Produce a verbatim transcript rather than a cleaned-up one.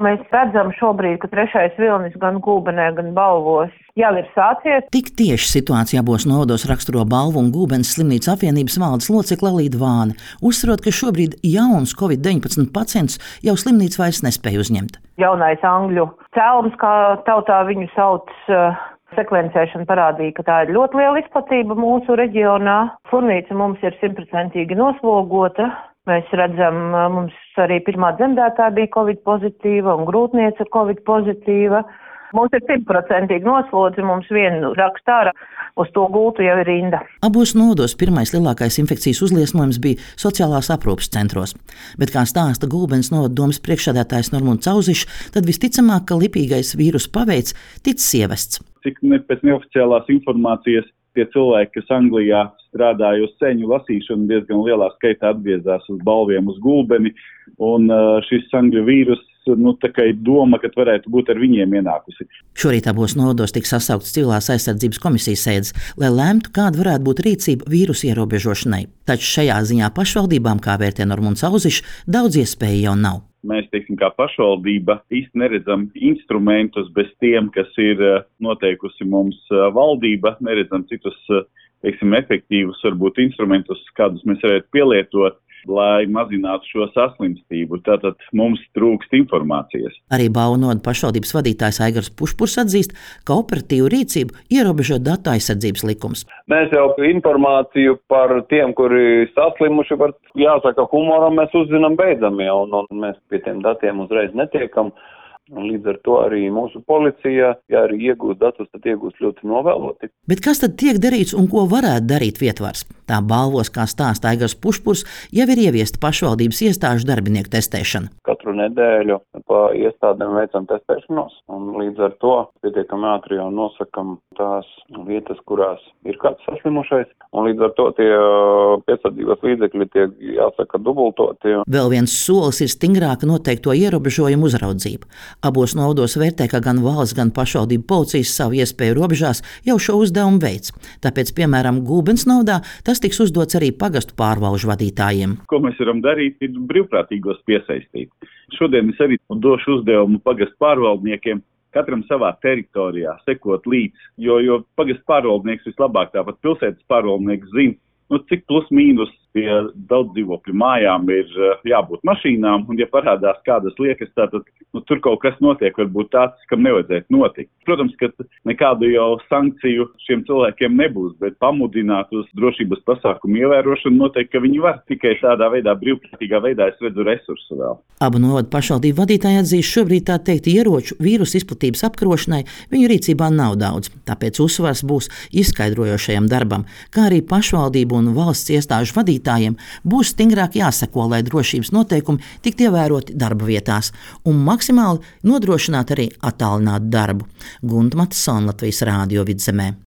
Mēs redzam šobrīd, ka trešais vilnis gan Gulbenē, gan Balvos jau ir sācies. Tik tieši situācija abos novados raksturo Balvu un Gulbenes slimnīcu apvienības valdes locekle Līda Vāne, uzsverot, ka šobrīd jauns covid deviņpadsmit pacients jau slimnīca vairs nespēja uzņemt. Jaunais angļu cēlums, kā tautā viņu sauc, sekvencēšana parādīja, ka tā ir ļoti liela izplatība mūsu reģionā. Slimnīca mums ir simtprocentīgi noslogota. Mēs redzam, mums arī pirmā dzemdētāja bija covid pozitīva un grūtniece covid pozitīva. Mums ir simtprocentīgi noslodzi, mums vienu rakstā ārā, uz to gultu jau ir rinda. Abos novados pirmais lielākais infekcijas uzliesmojums bija sociālās aprūpes centros. Bet, kā stāsta Gulbenes novada domes priekšsēdētājs Normons Auzišs, tad visticamāk, ka lipīgais vīrus paveids ticis ievests. Cik ne, pēc neoficiālās informācijas tie cilvēki, kas Anglijā strādāja uz ceņu lasīšanu, diezgan lielā skaitā atgriezās uz Balviem, uz Gulbeni, un uh, šis angļu vīrus, nu, tā kā ir doma, ka varētu būt ar viņiem ienākusi. Šorīt abos novados tika sasaukts civilās aizsardzības komisijas sēdes, lai lemtu, kāda varētu būt rīcība vīrusu ierobežošanai. Taču šajā ziņā pašvaldībām, kā vērtē Normons Auzišs, daudz iespēju jau nav. Mēs, teiksim, kā pašvaldība īsti neredzam instrumentus bez tiem, kas ir noteikusi mums valdība, neredzam citus, teiksim, efektīvus, varbūt instrumentus, kādus mēs varētu pielietot, lai mazinātu šo saslimstību. Tātad mums trūkst informācijas. Arī Balvu novada pašvaldības vadītājs Aigars Pušpurs atzīst, ka operatīvu rīcību ierobežo datu aizsardzības likums. Mēs jau informāciju par tiem, kuri saslimuši, var, jāsaka, humoram mēs uzzinām beidzami, un, un mēs pie tiem datiem uzreiz netiekam. Un līdz ar to arī mūsu policija, ja arī iegūst datus, tad iegūst ļoti novēloti. Bet kas tad tiek darīts un ko varētu darīt vietvars? Tā Balvos, kā stāsta Aigars Pušpurs, jau ir ieviesta pašvaldības iestāžu darbinieku testēšana. Katru nedēļu pa iestādēm veicam testēšanos, un līdz ar to pietiekami ātri jau nosakam tās vietas, kurās ir kāds saslimušais, un līdz ar to tie piesardzības līdzekļi tiek, jāsaka, dubultoti. Vēl viens solis ir stingrāka noteikto ierobežojumu uzraudzība. Abos novados vērtē, ka gan valsts, gan pašvaldību policijas savu iespēju robežās jau šo uzdevumu veids. Tāpēc, piemēram, Gulbenes novadā tas tiks uzdots arī pagastu pārvalžu vadītājiem. Ko mēs varam darīt, ir brīvprātīgos piesaistīt. Šodien es arī došu uzdevumu pagastu pārvaldniekiem katram savā teritorijā sekot līdz, jo, jo pagastu pārvaldnieks vislabāk, tāpat pilsētas pārvaldnieks zina, nu, cik plus mīnus pie daudz dzīvokļu mājām ir jābūt mašīnām, un ja parādās kādas liekas, tātad nu, tur kaut kas notiek, varbūt tāds, kam nevajadzētu notikt. Protams, ka nekādu jau sankciju šiem cilvēkiem nebūs, bet pamudināt uz drošības pasākumu ievērošanu noteikti, ka viņi var. Tikai tādā veidā, brīvprātīgā veidā es redzu resursu vēl. Abu novadu pašvaldību vadītāji atzīst, šobrīd tā teikt ieroču vīrusu izplatības apkarošanai viņu rīcībā nav daudz, tāpēc uzsvars būs izskaidrojošajam darbam, kā arī pašvaldību un valsts iestāžu vadītājiem būs stingrāk jāseko, lai drošības noteikumi tiktu ievēroti darba vietās un maksimāli nodrošināt arī attālinātu darbu. Gunta Matisona, Latvijas Rādio Vidzemē.